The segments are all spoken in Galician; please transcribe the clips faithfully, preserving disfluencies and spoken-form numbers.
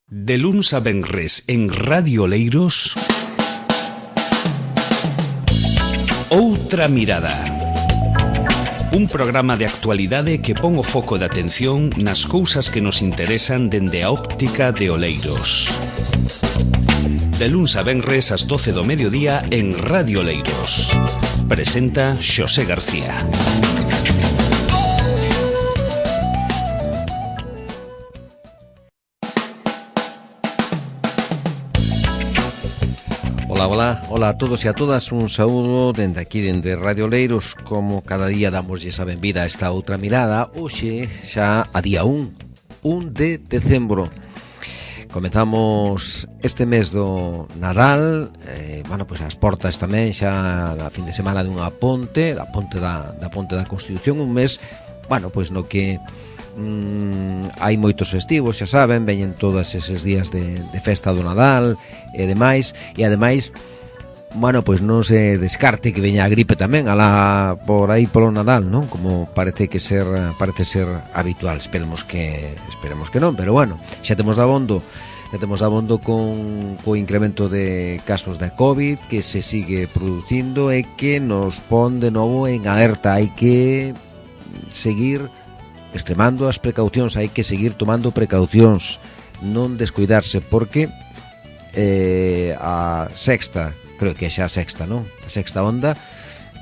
De luns a venres en Radio Oleiros, Outra Mirada. Un programa de actualidade que pon o foco de atención nas cousas que nos interesan dende a óptica de Oleiros. De luns a venres ás doce do mediodía en Radio Oleiros. Presenta Xosé García. Ola, ola, ola a todos e a todas, un saúdo dende aquí, dende Radio Oleiros. Como cada día damoslle a benvida a esta outra mirada. Hoxe xa a día un, un de decembro. Comezamos este mes do Nadal, eh, bueno, pois as portas tamén xa da fin de semana dunha ponte, da ponte da, da ponte da Constitución, un mes, bueno, pois no que Mm, hai moitos festivos, xa saben, veñen todos eses días de, de festa do Nadal e demais, e ademais, bueno, pois non se descarte que veña a gripe tamén alá por aí polo Nadal, non? Como parece que ser parece ser habitual. Esperemos que esperemos que non, pero bueno, xa temos dabondo xa temos dabondo con co incremento de casos de COVID que se sigue producindo e que nos pon de novo en alerta. Hai que seguir extremando as precaucións, hai que seguir tomando precaucións, non descuidarse, porque eh, a sexta, creo que xa a sexta, non? A sexta onda,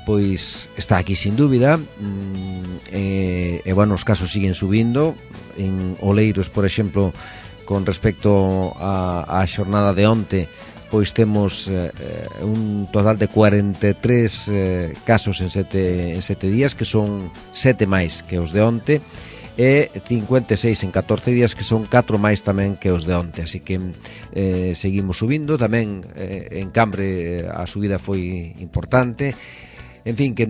pois está aquí sin dúbida, mm, e, e bueno, os casos siguen subindo. En Oleiros, por exemplo, con respecto a, a xornada de onte, pois temos eh, un total de cuarenta e tres eh, casos en sete, en sete días, que son sete máis que os de onte, e cincuenta e seis en catorce días, que son catro máis tamén que os de onte. Así que eh, seguimos subindo. Tamén eh, en Cambre a subida foi importante. En fin, que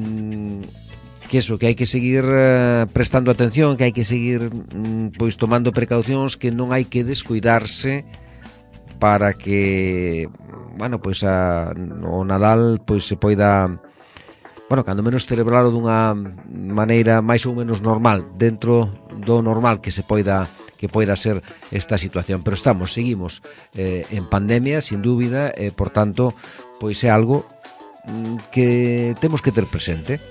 que eso, que hai que seguir eh, prestando atención, que hai que seguir mm, pois tomando precaucións, que non hai que descuidarse para que, bueno, pois a, o Nadal pois se poida, bueno, cando menos celebralo dunha maneira máis ou menos normal, dentro do normal que se poida que poida ser esta situación. Pero estamos, seguimos eh, en pandemia, sin dúbida, e por tanto, pois é algo mm, que temos que ter presente.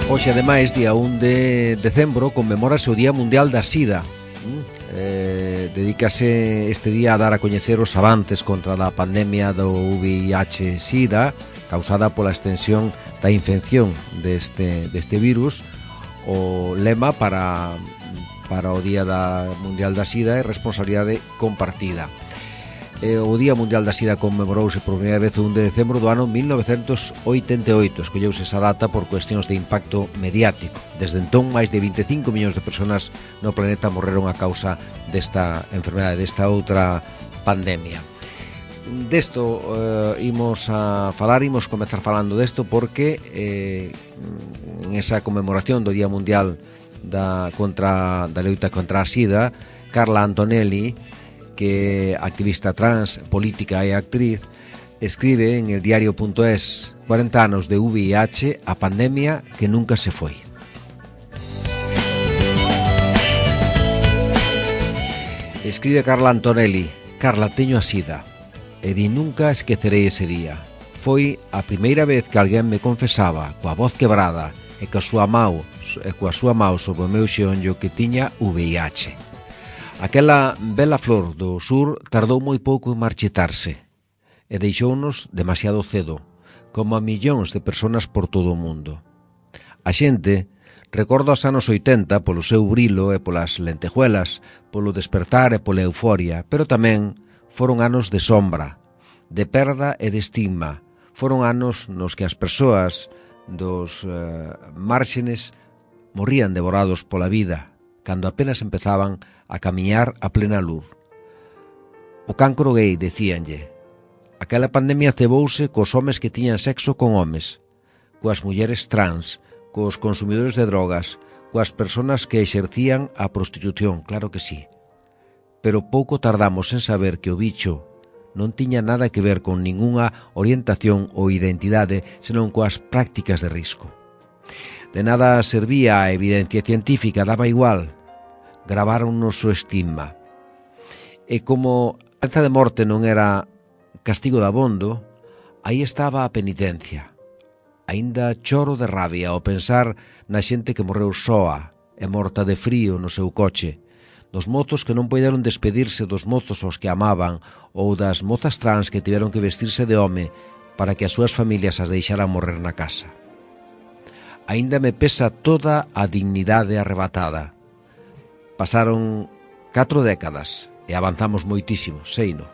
Hoxe, ademais, día un de decembro, conmemórase o Día Mundial da Sida. Eh, dedícase este día a dar a coñecer os avances contra a pandemia do V I H SIDA, causada pola extensión da infección deste, deste virus. O lema para, para o Día da Mundial da Sida é responsabilidade compartida. Eh, o Día Mundial da Sida conmemorouse por primeira vez o un de decembro do ano mil novecentos oitenta e oito. Escolleuse esa data por cuestións de impacto mediático. Desde entón, máis de vinte e cinco millóns de persoas no planeta morreron a causa desta enfermedade, desta outra pandemia. Desto eh, imos a falar, imos comezar falando desto porque eh, en esa conmemoración do Día Mundial da, contra, da loita contra a Sida, Carla Antonelli, que é activista trans, política e actriz, escribe en el diario punto es: cuarenta anos de V I H, a pandemia que nunca se foi. Escribe Carla Antonelli: Carla, teño a sida e di nunca esquecerei ese día. Foi a primeira vez que alguén me confesaba, coa voz quebrada e coa súa mão, e coa súa mão sobre o meu xeonllo, que tiña V I H. Aquela bela flor do sur tardou moi pouco en marchitarse e deixounos demasiado cedo, como a millóns de persoas por todo o mundo. A xente recorda os anos oitenta polo seu brilo e polas lentejuelas, polo despertar e pola euforia, pero tamén foron anos de sombra, de perda e de estigma. Foron anos nos que as persoas dos eh, márxenes morrían devorados pola vida, cando apenas empezaban a camiñar a plena luz. O cancro gay, decíanlle. Aquela pandemia cebouse cos homes que tiñan sexo con homes, coas mulleres trans, cos consumidores de drogas, coas persoas que exercían a prostitución, claro que sí. Pero pouco tardamos en saber que o bicho non tiña nada que ver con ningunha orientación ou identidade, senón coas prácticas de risco. De nada servía a evidencia científica, daba igual. Gravaron o noso estigma. E como a pena de morte non era castigo dabondo, aí estaba a penitencia. Aínda choro de rabia ao pensar na xente que morreu soa e morta de frío no seu coche, dos mozos que non puideron despedirse dos mozos aos que amaban ou das mozas trans que tiveron que vestirse de home para que as súas familias as deixaran morrer na casa. Aínda me pesa toda a dignidade arrebatada. Pasaron catro décadas e avanzamos moitísimo, seino.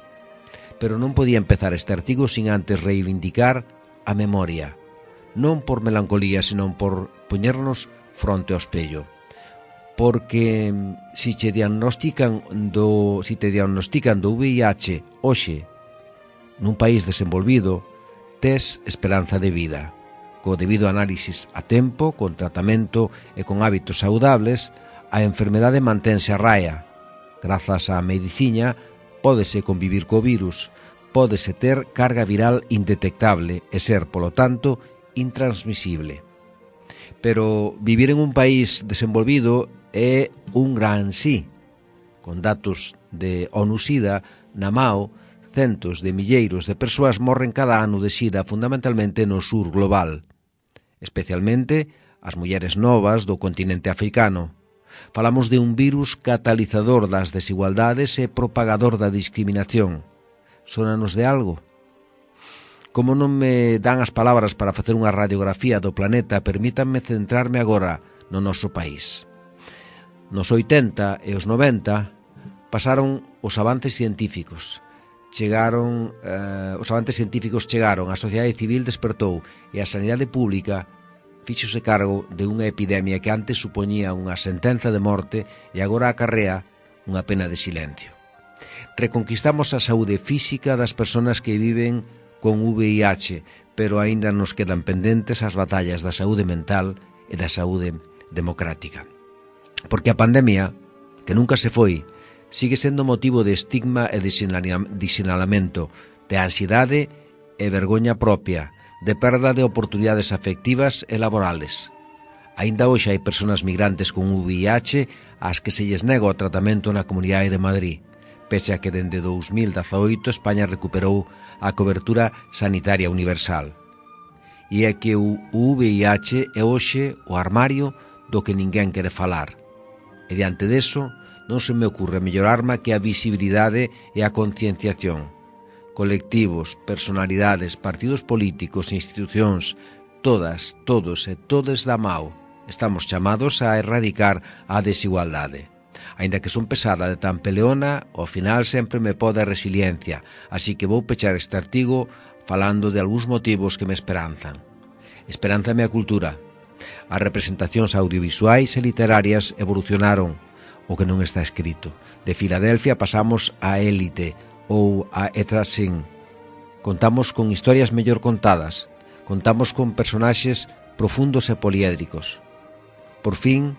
Pero non podía empezar este artigo sin antes reivindicar a memoria, non por melancolía, senón por poñernos fronte ao espello. Porque si che diagnostican do, si te diagnostican do V I H hoxe nun país desenvolvido, tes esperanza de vida. Co debido análisis a tempo, con tratamento e con hábitos saudables, a enfermedade mantense a raia. Grazas á medicina, pódese convivir co virus, pódese ter carga viral indetectable e ser, polo tanto, intransmisible. Pero vivir en un país desenvolvido é un gran sí. Con datos de ONU-SIDA, na Mao, centos de milleiros de persoas morren cada ano de SIDA, fundamentalmente no sur global, especialmente as mulleres novas do continente africano. Falamos de un virus catalizador das desigualdades e propagador da discriminación. Sónanos de algo? Como non me dan as palabras para facer unha radiografía do planeta, permítanme centrarme agora no noso país. Nos oitenta e os noventa pasaron os avances científicos. Chegaron, eh, os avances científicos chegaron, a sociedade civil despertou e a sanidade pública fíxose cargo de unha epidemia que antes supoñía unha sentenza de morte e agora acarrea unha pena de silencio. Reconquistamos a saúde física das persoas que viven con V I H, pero aínda nos quedan pendentes as batallas da saúde mental e da saúde democrática. Porque a pandemia, que nunca se foi, sigue sendo motivo de estigma e de sinalamento, de ansiedade e vergoña propia, de perda de oportunidades afectivas e laborales. Aínda hoxe hai persoas migrantes con V I H ás que se lles nega o tratamento na Comunidade de Madrid, pese a que dende dous mil dezaoito España recuperou a cobertura sanitaria universal. E é que o V I H é hoxe o armario do que ninguén quere falar. E diante deso, non se me ocurre mellor arma que a visibilidade e a concienciación. Colectivos, personalidades, partidos políticos, institucións, todas, todos e todes da Mao, estamos chamados a erradicar a desigualdade. Aínda que son pesada de tan peleona, ao final sempre me pode a resiliencia, así que vou pechar este artigo falando de algúns motivos que me esperanzan. Esperánzame a cultura. As representacións audiovisuais e literarias evolucionaron, o que non está escrito. De Filadelfia pasamos a Élite ou a Etrasin. Contamos con historias mellor contadas, contamos con personaxes profundos e poliédricos. Por fin,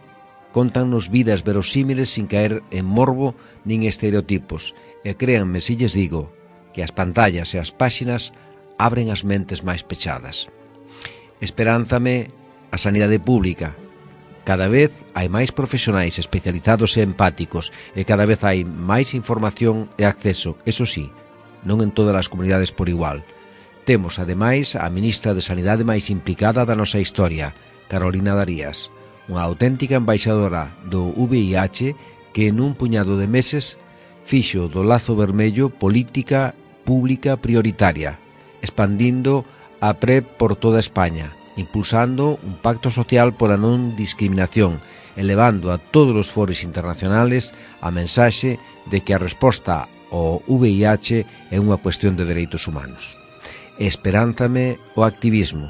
contannos vidas verosímiles sin caer en morbo nin estereotipos, e créanme se lles digo que as pantallas e as páxinas abren as mentes máis pechadas. Esperánzame a sanidade pública. Cada vez hai máis profesionais especializados e empáticos e cada vez hai máis información e acceso, eso sí, non en todas as comunidades por igual. Temos, ademais, a ministra de Sanidade máis implicada da nosa historia, Carolina Darías, unha auténtica embaixadora do V I H que nun puñado de meses fixo do lazo vermello política pública prioritaria, expandindo a PrEP por toda España, impulsando un pacto social pola non discriminación, elevando a todos os foros internacionales a mensaxe de que a resposta ao V I H é unha cuestión de dereitos humanos. Esperánzame o activismo,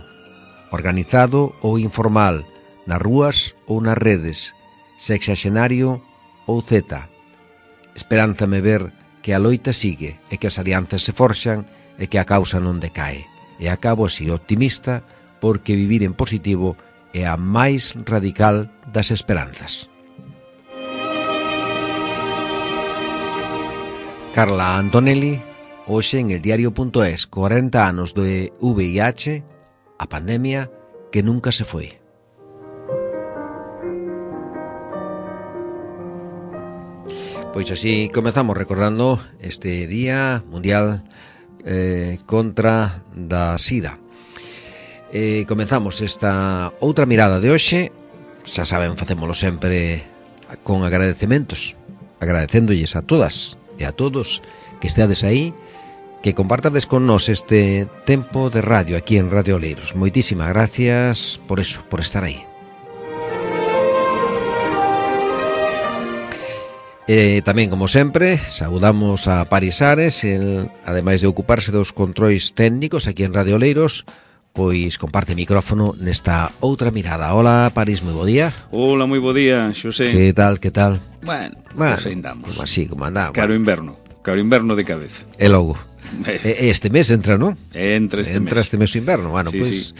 organizado ou informal, nas rúas ou nas redes, sexaxenario ou zeta. Esperánzame ver que a loita sigue e que as alianzas se forxan e que a causa non decae. E acabo así optimista porque vivir en positivo é a máis radical das esperanzas. Carla Antonelli, hoxe en el diario punto es, corenta anos de V I H, a pandemia que nunca se foi. Pois así comezamos recordando este Día Mundial eh, contra da SIDA. Eh, comezamos esta outra mirada de hoxe. Xa saben, facémolo sempre con agradecementos, agradecéndolles a todas e a todos que esteades aí, que compartades con nós este tempo de radio aquí en Radio Oleiros. Moitísimas gracias por eso, por estar aí. E tamén, como sempre, saudamos a Paris Ares, el, ademais de ocuparse dos controis técnicos aquí en Radio Oleiros, pois comparte micrófono nesta outra mirada. Hola, Paris, moi bo día. Hola, moi bo día, Xosé. Que tal, que tal? Bueno, bueno pues andamos. Como así, como andamos. Caro inverno, caro inverno de cabeza. E logo. E este mes entra, non? Entra este entra mes. este mes o inverno. Bueno, sí, pois sí.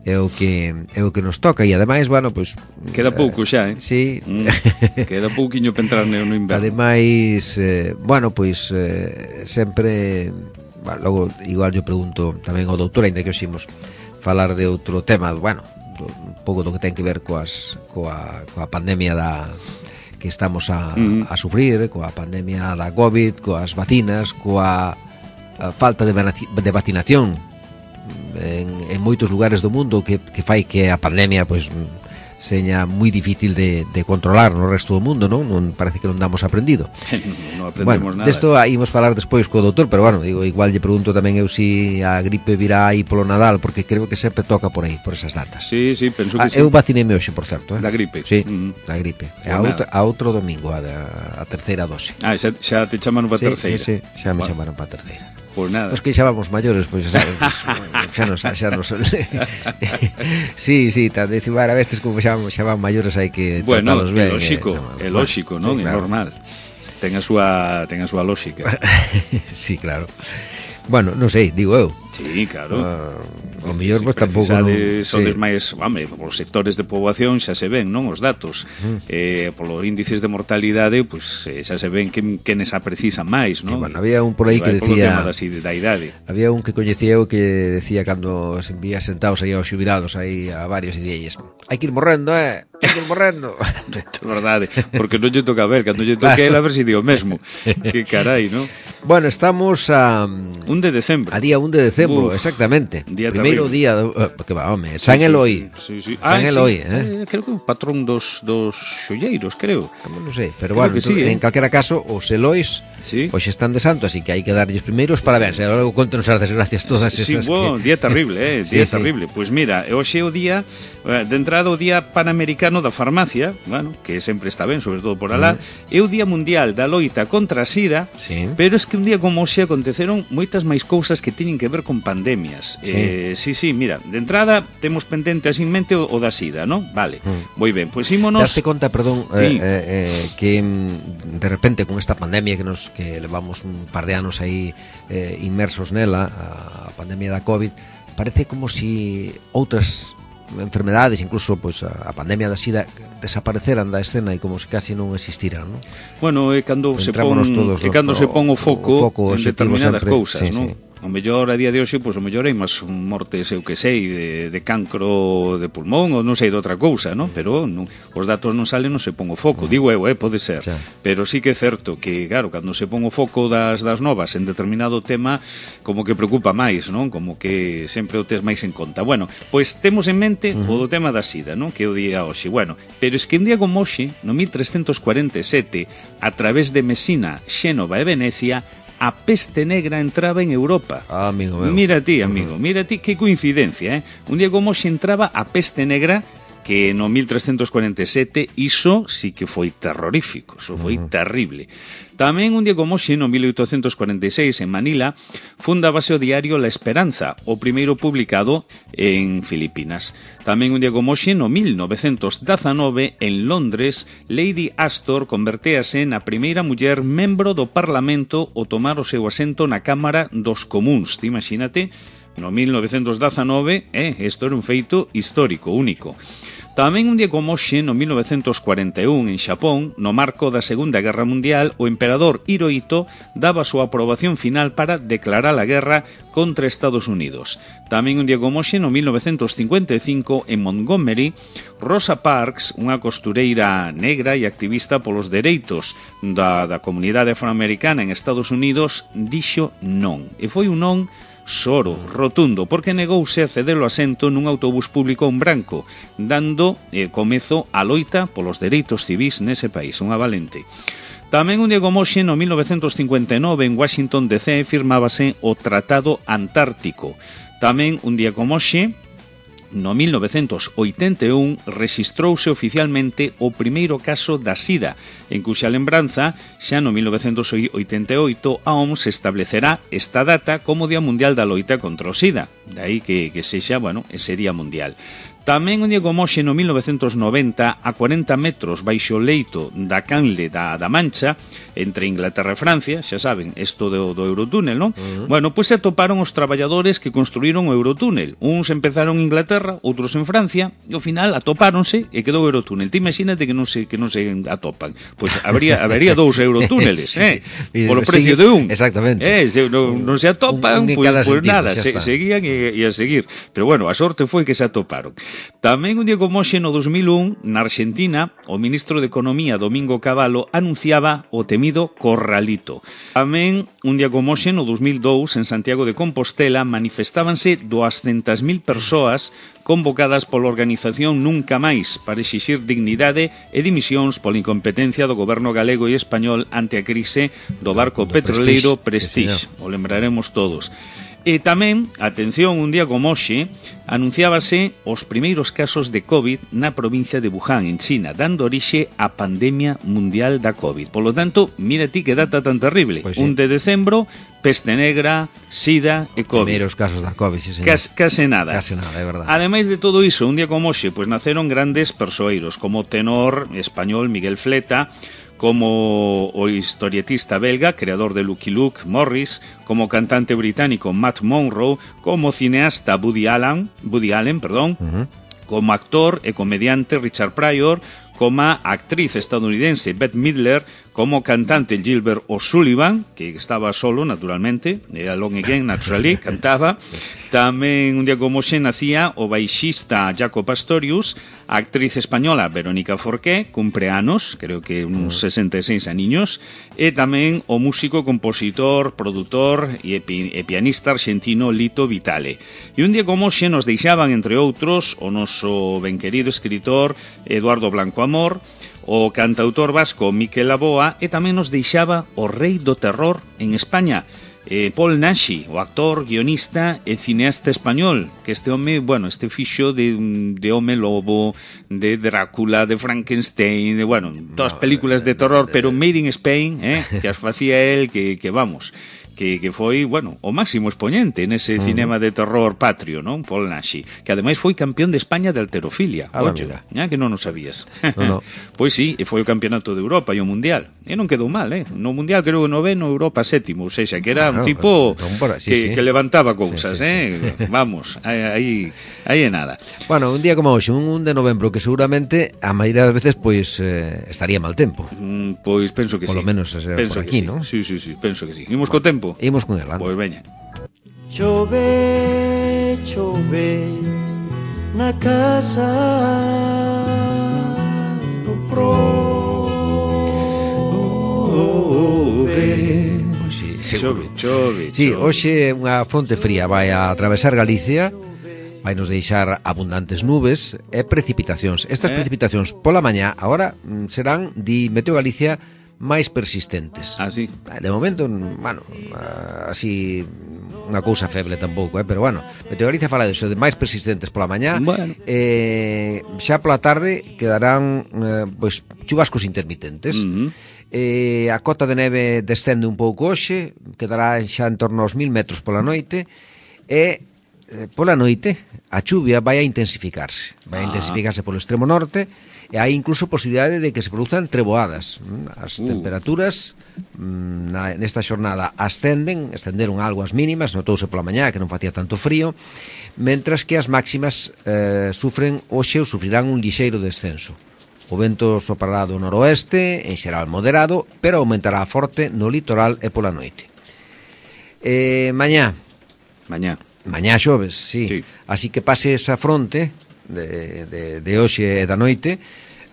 é o que é o que nos toca e ademais, bueno, pois queda pouco xa, eh? Sí. Mm, queda pouquiño para entrar no inverno. Ademais, eh, bueno, pois eh, sempre, bueno, logo igual yo pregunto tamén ao doutor, ainda que oximos falar de outro tema, bueno, do, un pouco do que ten que ver coas coa coa pandemia da que estamos a, mm. a sufrir, coa pandemia da COVID, coas vacinas, coa a falta de, de vacinación en, en moitos lugares do mundo que, que fai que a pandemia pois seña moi difícil de, de controlar no resto do mundo, non? Non parece que non damos aprendido. Non aprendemos bueno, nada. Desto ímos falar despois co doutor, pero bueno, digo, igual lle pregunto tamén eu si a gripe virá aí polo Nadal, porque creo que sempre toca por aí, por esas datas. Sí, sí, penso ah, que sí. Eu vacineime hoxe, por certo, eh? Da gripe. Sí, mm. da gripe. Pues a, outra, a outro domingo, a, a terceira dose. Ah, xa, xa te chamaron para sí, terceira. Sí, sí, xa me bueno. chamaron para terceira. Pois nada. Os que xa vamos maiores, pois xa sabes, xa nos xa nos sí, sí, tan decir, a vestes como xa, xa van maiores hai que bueno, tratalos ben. É lógico, é lógico, non? É normal. Ten a súa ten a súa lógica. Sí, claro. Bueno, non sei, digo eu. Sí, claro. Uh, o mellor pois tampouco non... Sodes sí. máis, home, os sectores de poboación xa se ven, non, os datos. Uh-huh. Eh, polo índices de mortalidade, pois pues, eh, xa se ven que quenes a precisan máis, non? Sí, bueno, había un por aí que decía... Da, da idade. Había un que coñecía eu que decía cando se envía sentados aí aos xubilados aí a varios e dielles, hai que ir morrendo, eh? Hai que ir morrendo. É verdade, porque non lle toca ver, cando lle toque a ver se digo mesmo. Que carai, non? Bueno, estamos a... un de decembro. A día un de decembro, Uf, exactamente. Día primeiro terrible. día, do, uh, que va, home, San sí, Eloi. Sí, sí, sí. San ah, Eloi, sí. eh? eh? Creo que é un patrón dos dos xolleiros, creo. Non sei, pero creo bueno, sí, en eh? calquera caso, os Elois sí. Pois están de santo, así que hai que darlles primeiros parabéns. E logo contenos as desgracias todas esas. Sí, bueno, que... día terrible, eh? Día sí, terrible. Sí. Pois pues mira, hoxe é o día de entrada o Día Panamericano da Farmacia, bueno, que sempre está ben, sobre todo por alá, mm. é o Día Mundial da Loita contra a SIDA, sí. Pero es que un día como hoxe aconteceron moitas máis cousas que teñen que ver con pandemias. Sí, eh, sí, sí, mira, de entrada temos pendente así en mente o, o da SIDA, ¿no? Vale, mm. moi ben, pois ímonos... Daste conta, perdón, sí. eh, eh, que de repente con esta pandemia que nos que levamos un par de anos aí eh, inmersos nela, a pandemia da COVID, parece como si outras enfermedades, incluso pues, a pandemia da SIDA desapareceran da escena e como se casi non existiran, ¿no? Bueno, é cando se pon é cando se pon o foco, o foco en determinadas sempre, cousas, sí, ¿no? Sí. O mellor a día de hoxe, pois pues, o mellor hai máis mortes, eu que sei, de, de cancro de pulmón ou non sei de outra cousa, ¿no? Pero non, os datos non salen, non se pon o foco. Digo eu, eh, pode ser. Sí. Pero sí que é certo que, claro, cando se pon o foco das, das novas en determinado tema, como que preocupa máis, non? Como que sempre o tes máis en conta. Bueno, pois temos en mente uh-huh. o do tema da SIDA, non? Que é o día hoxe. Bueno, pero es que un día como hoxe, no mil trescentos cuarenta e sete, a través de Mesina, Xénova e Venecia, a peste negra entraba en Europa. Ah, amigo meu. Mira ti, amigo, mira ti, que coincidencia, eh? Un día como hoxe entraba a peste negra, que no mil trescentos cuarenta e sete iso sí que foi terrorífico, iso foi uh-huh. terrible. Tamén un día como hoxe, no mil oitocentos cuarenta e seis, en Manila, fundábase o diario La Esperanza, o primeiro publicado en Filipinas. Tamén un día como hoxe, no mil novecentos dezanove, en Londres, Lady Astor convertéase na primeira muller membro do Parlamento ao tomar o seu asento na Cámara dos Comuns. Te imagínate, no mil novecentos dezanove, eh, isto era un feito histórico, único. Tamén un día como hoxe, no mil novecentos cuarenta e un, en Xapón, no marco da Segunda Guerra Mundial, o emperador Hirohito daba a súa aprobación final para declarar a guerra contra Estados Unidos. Tamén un día como hoxe, no mil novecentos cincuenta e cinco, en Montgomery, Rosa Parks, unha costureira negra e activista polos dereitos da, da comunidade afroamericana en Estados Unidos, dixo non. E foi un non soro, rotundo, porque negouse a ceder o asento nun autobús público a un branco, dando eh, comezo a loita polos dereitos civis nese país, unha valente. Tamén un día como hoxe, no mil novecentos cincuenta e nove, en Washington D C, firmábase o Tratado Antártico. Tamén un día como hoxe, no mil novecentos oitenta e un, rexistrouse oficialmente o primeiro caso da SIDA, en cuxa lembranza, xa no mil novecentos oitenta e oito, a O M S establecerá esta data como Día Mundial da Loita contra o SIDA. Daí que, que sexa, bueno, ese Día Mundial. Tamén un día como hoxe, no mil novecentos noventa, a cuarenta metros baixo o leito da canle da, da Mancha, entre Inglaterra e Francia, xa saben, isto do, do Eurotúnel, non? Uh -huh. Bueno, pois se atoparon os traballadores que construíron o Eurotúnel. Uns empezaron en Inglaterra, outros en Francia, e ao final atopáronse e quedou o Eurotúnel. Ti imagínate que non se que non se atopan. Pois habría habería dous Eurotúneles, sí, eh? Polo precio de un. Exactamente. Eh, se non, non se atopan, pois pues, pues nada, se, seguían e, e a seguir. Pero bueno, a sorte foi que se atoparon. Tamén un día como hoxe, no dos mil un, na Argentina, o ministro de Economía, Domingo Cavallo, anunciaba o temido corralito. Tamén un día como hoxe, no dos mil dous, en Santiago de Compostela, manifestábanse duascentas mil persoas convocadas pola organización Nunca Máis para exixir dignidade e dimisións pola incompetencia do goberno galego e español ante a crise do barco do petroleiro Prestige. Prestige. O lembraremos todos. E tamén, atención, un día como hoxe, anunciábase os primeiros casos de COVID na provincia de Wuhan, en China, dando orixe á pandemia mundial da COVID. Por lo tanto, mira ti que data tan terrible. Pues sí. un de decembro, peste negra, sida e COVID. Primeiros casos da COVID, sí, señor. Cas, case nada. Case nada, é verdade. Ademais de todo iso, un día como hoxe, pues naceron grandes persoeiros, como o tenor español Miguel Fleta, como o historietista belga, creador de Lucky Luke, Morris, como cantante británico Matt Monro, como cineasta Woody Allen, Woody Allen, perdón, uh-huh. como actor e comediante Richard Pryor, como actriz estadounidense Bette Midler, como cantante Gilbert O'Sullivan, que estaba solo, naturalmente, Alone Again, naturally, cantaba. Tamén un día como xe nacía o baixista Jaco Pastorius, a actriz española Verónica Forqué, cumpre anos, creo que uns sesenta e seis aniños, e tamén o músico, compositor, produtor e, pi, e pianista argentino Lito Vitale. E un día como xe nos deixaban, entre outros, o noso ben querido escritor Eduardo Blanco Amor, o cantautor vasco Miquel Laboa, e tamén nos deixaba o rei do terror en España, eh, Paul Naschy, o actor, guionista e cineasta español, que este home, bueno, este fixo de, de Home Lobo, de Drácula, de Frankenstein, de, bueno, todas películas de terror, pero made in Spain, eh, que as facía el, que, que vamos... Que, que foi, bueno, o máximo exponente nese uh -huh. cinema de terror patrio, non? Paul Naschy, que ademais foi campeón de España de halterofilia. Ah, oye, ya que non o sabías. No, no. Pois sí, e foi o campeonato de Europa e o Mundial. E non quedou mal, eh? No Mundial creo que noveno, Europa sétimo, ou seja, que era bueno, un tipo por, sí, que, sí. que levantaba cousas, sí, sí, eh? Sí. Vamos, aí aí é nada. Bueno, un día como hoxe, un un de novembro, que seguramente a maioría das veces pois eh, estaría mal tempo. Mm, pois penso que por sí. Por lo menos eh, penso por aquí, sí. ¿no? Sí, sí, sí, penso que sí. Imos bueno, co tempo. Imos con el, anda. Pois veña. Chove, chove na casa do prove. Pois sí, chove, chove. Sí, hoxe unha fronte fría vai a atravesar Galicia, vai nos deixar abundantes nubes e precipitacións. Estas eh? precipitacións pola mañá agora serán, di Meteo Galicia, máis persistentes. Ah, sí. De momento, bueno, así unha cousa feble tampouco, eh? Pero bueno, Meteo Galicia fala diso, de máis persistentes pola mañá. Bueno. Eh, xa pola tarde quedarán eh, pois chubascos intermitentes. Uh -huh. Eh, a cota de neve descende un pouco hoxe, quedará xa en torno aos mil metros pola noite, e pola noite a chuvia vai a intensificarse vai a intensificarse polo extremo norte e hai incluso posibilidade de que se produzan treboadas. As uh. temperaturas na, nesta xornada ascenden, ascenderon algo as mínimas, notouse pola mañá que non facía tanto frío, mentras que as máximas eh, sufren hoxe ou sufrirán un lixeiro descenso. O vento soprará do noroeste, en xeral moderado, pero aumentará forte no litoral e pola noite. Eh, mañá. Mañá. Mañá xoves, sí. sí. Así que pase esa fronte de, de, de hoxe e da noite,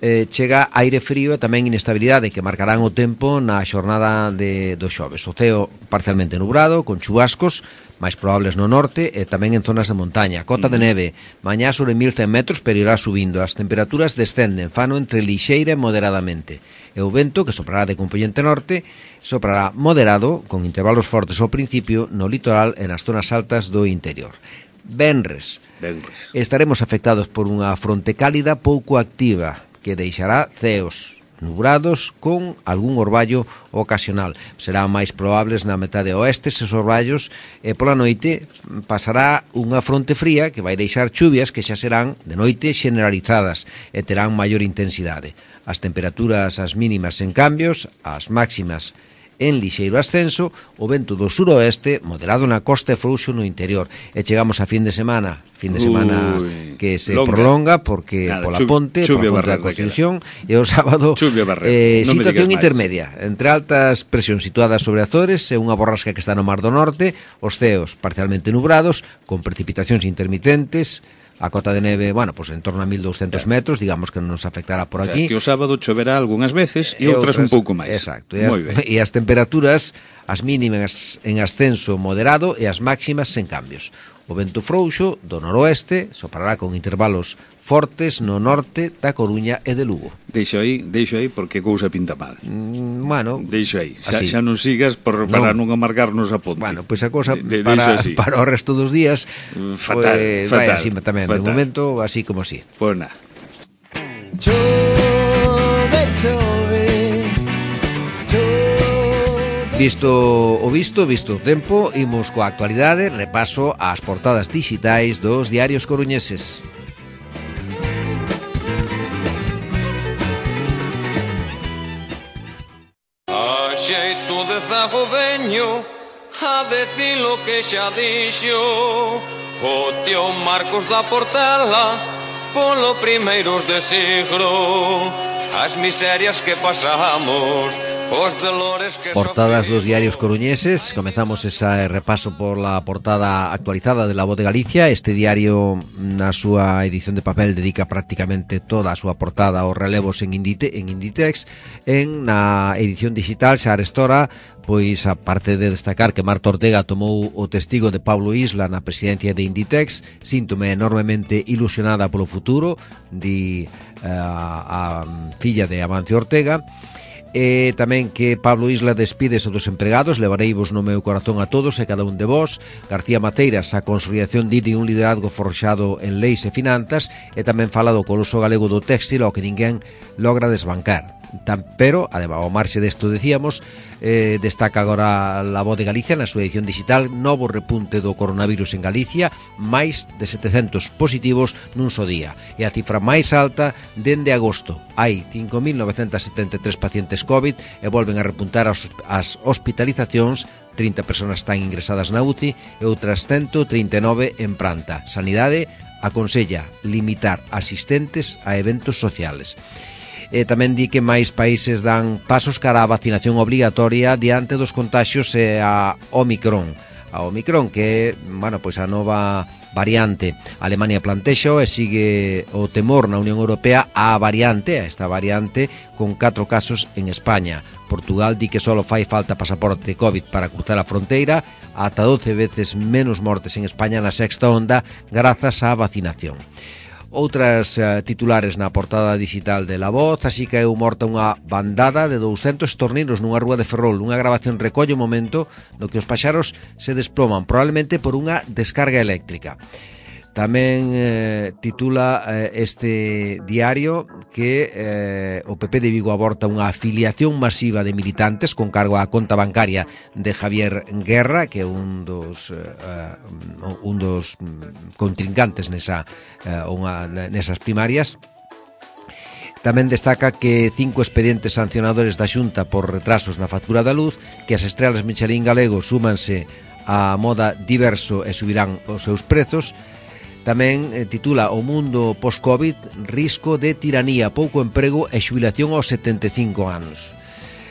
eh, chega aire frío e tamén inestabilidade que marcarán o tempo na xornada de, do xoves. O ceo parcialmente nubrado, con chubascos, máis probables no norte e tamén en zonas de montaña. Cota mm. de neve, mañá sobre mil cen metros, pero irá subindo. As temperaturas descenden, fano entre lixeira e moderadamente. E o vento, que soprará de componente norte, soprará moderado, con intervalos fortes ao principio, no litoral e nas zonas altas do interior. Venres, Venres. Estaremos afectados por unha fronte cálida pouco activa, que deixará ceos nubrados con algún orballo ocasional. Serán máis probables na metade oeste eses orballos e pola noite pasará unha fronte fría que vai deixar chuvias que xa serán de noite generalizadas e terán maior intensidade. As temperaturas as mínimas en cambios, as máximas en lixeiro ascenso, o vento do suroeste moderado na costa e frouxo no interior. E chegamos a fin de semana, fin de semana Uy, que se longa. prolonga porque Nada, pola ponte, pola ponte da Constitución, e o sábado eh, no situación intermedia, entre altas presións situadas sobre Azores e unha borrasca que está no Mar do Norte, os ceos parcialmente nubrados, con precipitacións intermitentes. A cota de neve, bueno, pues en torno a mil doscientos metros, digamos que non nos afectará por aquí. O sea, que o sábado choverá algunhas veces e, e outras, outras un pouco máis. Exacto. E as, e as temperaturas, as mínimas en ascenso moderado e as máximas sen cambios. O vento frouxo do noroeste soprará con intervalos fortes no norte da Coruña e de Lugo. Deixo aí, deixo aí porque cousa pinta mal. Mm, bueno, deixo aí. Xa, xa non sigas por, para non, non amargarnos a ponte. Bueno, pois pues a cousa de, de, para, para o resto dos días fatal, pues, fatal, vai así tamén. Fatal. De momento, así como así. Pois nada. Chove, chove, chove. Visto o visto, visto o tempo, imos coa actualidade, repaso ás portadas dixitais dos diarios coruñeses. A xeito de zago veño a decir lo que xa dixo o tío Marcos da Portela polo primeiros de siglo, as miserias que pasamos, os dolores que portadas dos diarios coruñeses. Comezamos ese repaso por la portada actualizada de La Voz de Galicia. Este diario, na súa edición de papel, dedica prácticamente toda a súa portada aos relevos en, Indite, en Inditex. En na edición digital xa arestora, pois a parte de destacar que Marta Ortega tomou o testigo de Pablo Isla na presidencia de Inditex, síntome enormemente ilusionada polo futuro, di a, a filla de Amancio Ortega. E tamén que Pablo Isla despídese dos empregados, levareivos no meu corazón a todos e cada un de vós. García Mateiras, a consolidación de un liderazgo forxado en leis e finanzas, e tamén fala do coloso galego do téxtil ao que ninguén logra desbancar. Tan, pero, además, ao marxe desto decíamos, eh, destaca agora La Voz de Galicia na súa edición digital, novo repunte do coronavirus en Galicia, máis de setecentos positivos nun só día, e a cifra máis alta dende agosto. Hai cinco mil novecentos setenta e tres pacientes COVID e volven a repuntar as, as hospitalizacións. trinta persoas están ingresadas na U C I e outras ciento trinta e nove en planta. Sanidade aconsella limitar asistentes a eventos sociales. E tamén di que máis países dan pasos cara á vacinación obligatoria diante dos contaxios e a Omicron. A Omicron, que é, bueno, pois a nova variante. Alemania plantexa e sigue o temor na Unión Europea á variante, a esta variante, con catro casos en España. Portugal di que só fai falta pasaporte COVID para cruzar a fronteira, ata doce veces menos mortes en España na sexta onda grazas á vacinación. Outras uh, titulares na portada digital de La Voz, así que eu morta unha bandada de douscentos torninos nunha rúa de Ferrol. Unha grabación recolle o momento no que os paxaros se desploman, probablemente por unha descarga eléctrica. Tamén eh, titula eh, este diario que eh, o P P de Vigo aborta unha afiliación masiva de militantes con cargo á conta bancaria de Javier Guerra, que é un dos eh, un dos contrincantes nesa, eh, unha, nesas primarias. Tamén destaca que cinco expedientes sancionadores da Xunta por retrasos na factura da luz, que as estrelas Michelin galego súmanse á moda diverso e subirán os seus prezos. Tamén eh, titula O mundo post-Covid, risco de tiranía, pouco emprego e xubilación aos setenta e cinco anos.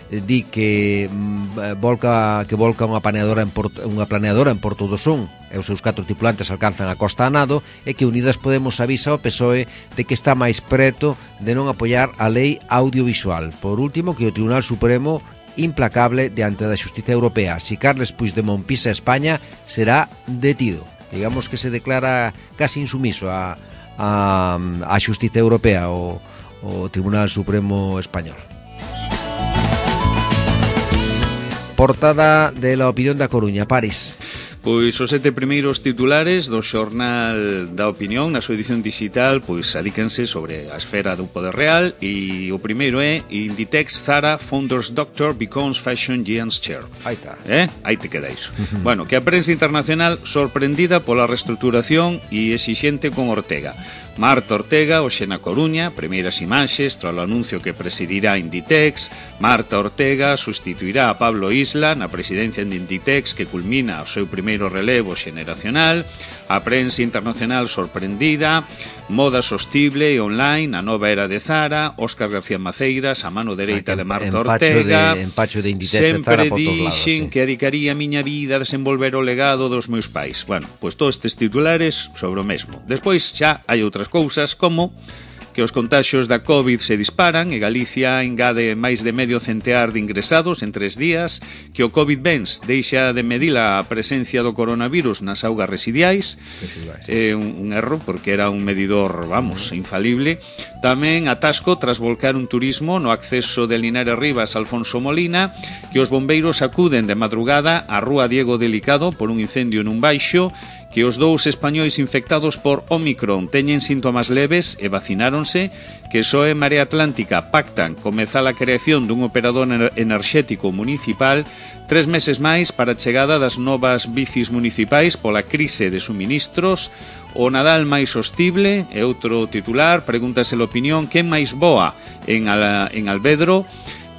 Di que mm, volca que volca unha planeadora en Porto, unha planeadora en Porto do Son e os seus catro tripulantes alcanzan a costa a nado, e que Unidas Podemos avisa ao P S O E de que está máis preto de non apoiar a lei audiovisual. Por último, que o Tribunal Supremo implacable diante da Xustiza Europea. Si Carles Puigdemont pisa España, será detido. Digamos que se declara casi insumiso a, a, a Xustiza Europea, o, o Tribunal Supremo Español. Portada de La Opinión da Coruña, París. Pois os sete primeiros titulares do xornal da Opinión na súa edición digital pois alícanse sobre a esfera do poder real, e o primeiro é Inditex Zara Founders Doctor becomes Fashion Giant's Chair. Aí está. Eh? Aí te queda iso. Uh-huh. Bueno, que a prensa internacional sorprendida pola reestruturación e exixente con Ortega. Marta Ortega, hoxe na Coruña, primeiras imaxes tras o anuncio que presidirá Inditex. Marta Ortega sustituirá a Pablo Isla na presidencia de Inditex, que culmina o seu primeiro relevo xeneracional. A prensa internacional sorprendida. Moda sostible e online, a nova era de Zara. Óscar García Maceiras, a mano dereita de Marta Ortega. De, empacho de Inditex sempre de Zara por todos lados, dixen sí. que dedicaría a miña vida a desenvolver o legado dos meus pais. Bueno, pois todos estes titulares sobre o mesmo. Despois xa hai outras cousas, como que os contaxios da COVID se disparan e Galicia engade máis de medio centear de ingresados en tres días, que o COVID-Bens deixa de medir a presencia do coronavirus nas augas residiais, é eh, un, un erro porque era un medidor, vamos, infalible. Tamén atasco tras volcar un turismo no acceso de Linares Rivas a Alfonso Molina, que os bombeiros acuden de madrugada á rúa Diego Delicado por un incendio nun baixo, que os dous españois infectados por Omicron teñen síntomas leves e vacináronse, que S O E e Marea Atlántica pactan comezar a creación dun operador enerxético municipal tres meses máis para a chegada das novas bicis municipais pola crise de suministros. O Nadal máis sostible é outro titular, pregúntase a opinión, quen máis boa en, Al en Alvedro.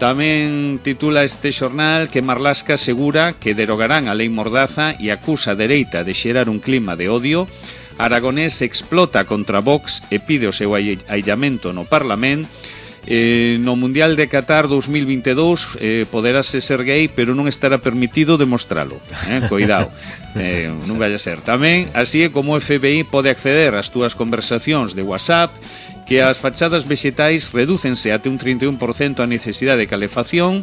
Tamén titula este xornal que Marlaska asegura que derogarán a lei Mordaza e acusa a dereita de xerar un clima de odio. Aragonés explota contra Vox e pide o seu aillamento no Parlamento. Eh, no Mundial de Qatar dos mil vinte e dous eh, poderase ser gay, pero non estará permitido demostralo. Eh? Cuidado, eh, non vai a ser. Tamén, así é como o F B I pode acceder ás túas conversacións de WhatsApp, que as fachadas vexetais redúcense até un trinta e un por cento a necesidade de calefacción.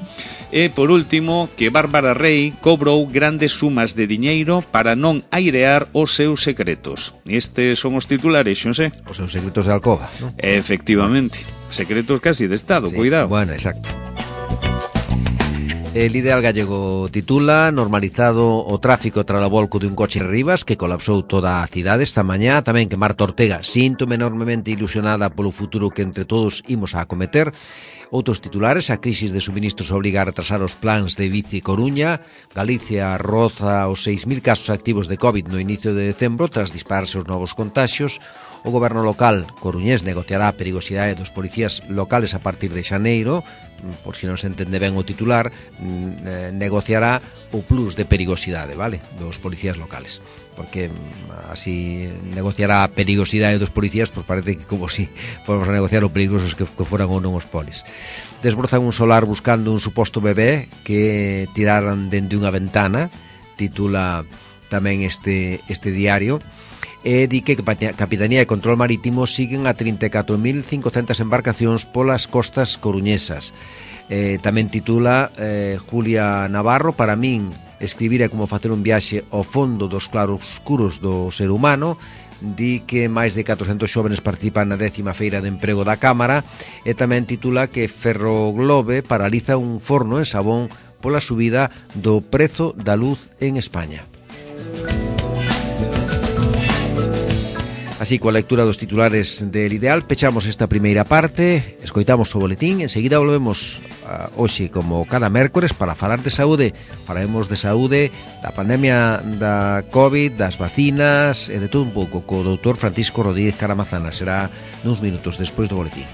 E, por último, que Bárbara Rey cobrou grandes sumas de diñeiro para non airear os seus secretos. Estes son os titulares, xonse? Os seus secretos de alcoba, non? Efectivamente, secretos casi de Estado, sí, cuidado. Bueno, exacto. El Ideal Gallego titula normalizado o tráfico tras o volco de un coche en Rivas que colapsou toda a cidade esta mañá. Tamén que Marta Ortega síntome enormemente ilusionada polo futuro que entre todos imos a acometer. Outros titulares: a crisis de suministros obriga a retrasar os plans de Bici Coruña. Galicia roza os seis mil casos activos de COVID no inicio de decembro tras dispararse os novos contaxios. O goberno local coruñés negociará a perigosidade dos policías locales a partir de xaneiro. Por si non se entende ben o titular, negociará o plus de perigosidade, vale, dos policías locales, porque así negociará a perigosidade dos policías, pois parece que como si fomos a negociar o peligrosos que, que foran ou non os polis. Desbrozan un solar buscando un suposto bebé que tiraran dende unha ventana, titula tamén este, este diario. E di que Capitanía e Control Marítimo siguen a trinta e catro mil cincocentas embarcacións polas costas coruñesas. Eh, tamén titula eh, Julia Navarro: para min escribir é como facer un viaxe ao fondo dos claroscuros do ser humano. Di que máis de catrocentos xóvenes participan na décima feira de emprego da Cámara. E tamén titula que Ferroglobe paraliza un forno en Sabón pola subida do prezo da luz en España. Así, coa lectura dos titulares del Ideal, pechamos esta primeira parte, escoitamos o boletín, enseguida volvemos uh, hoxe, como cada mércores, para falar de saúde. Falaremos de saúde, da pandemia da COVID, das vacinas e de todo un pouco co doutor Francisco Rodríguez Caramazana. Será nuns minutos despois do boletín.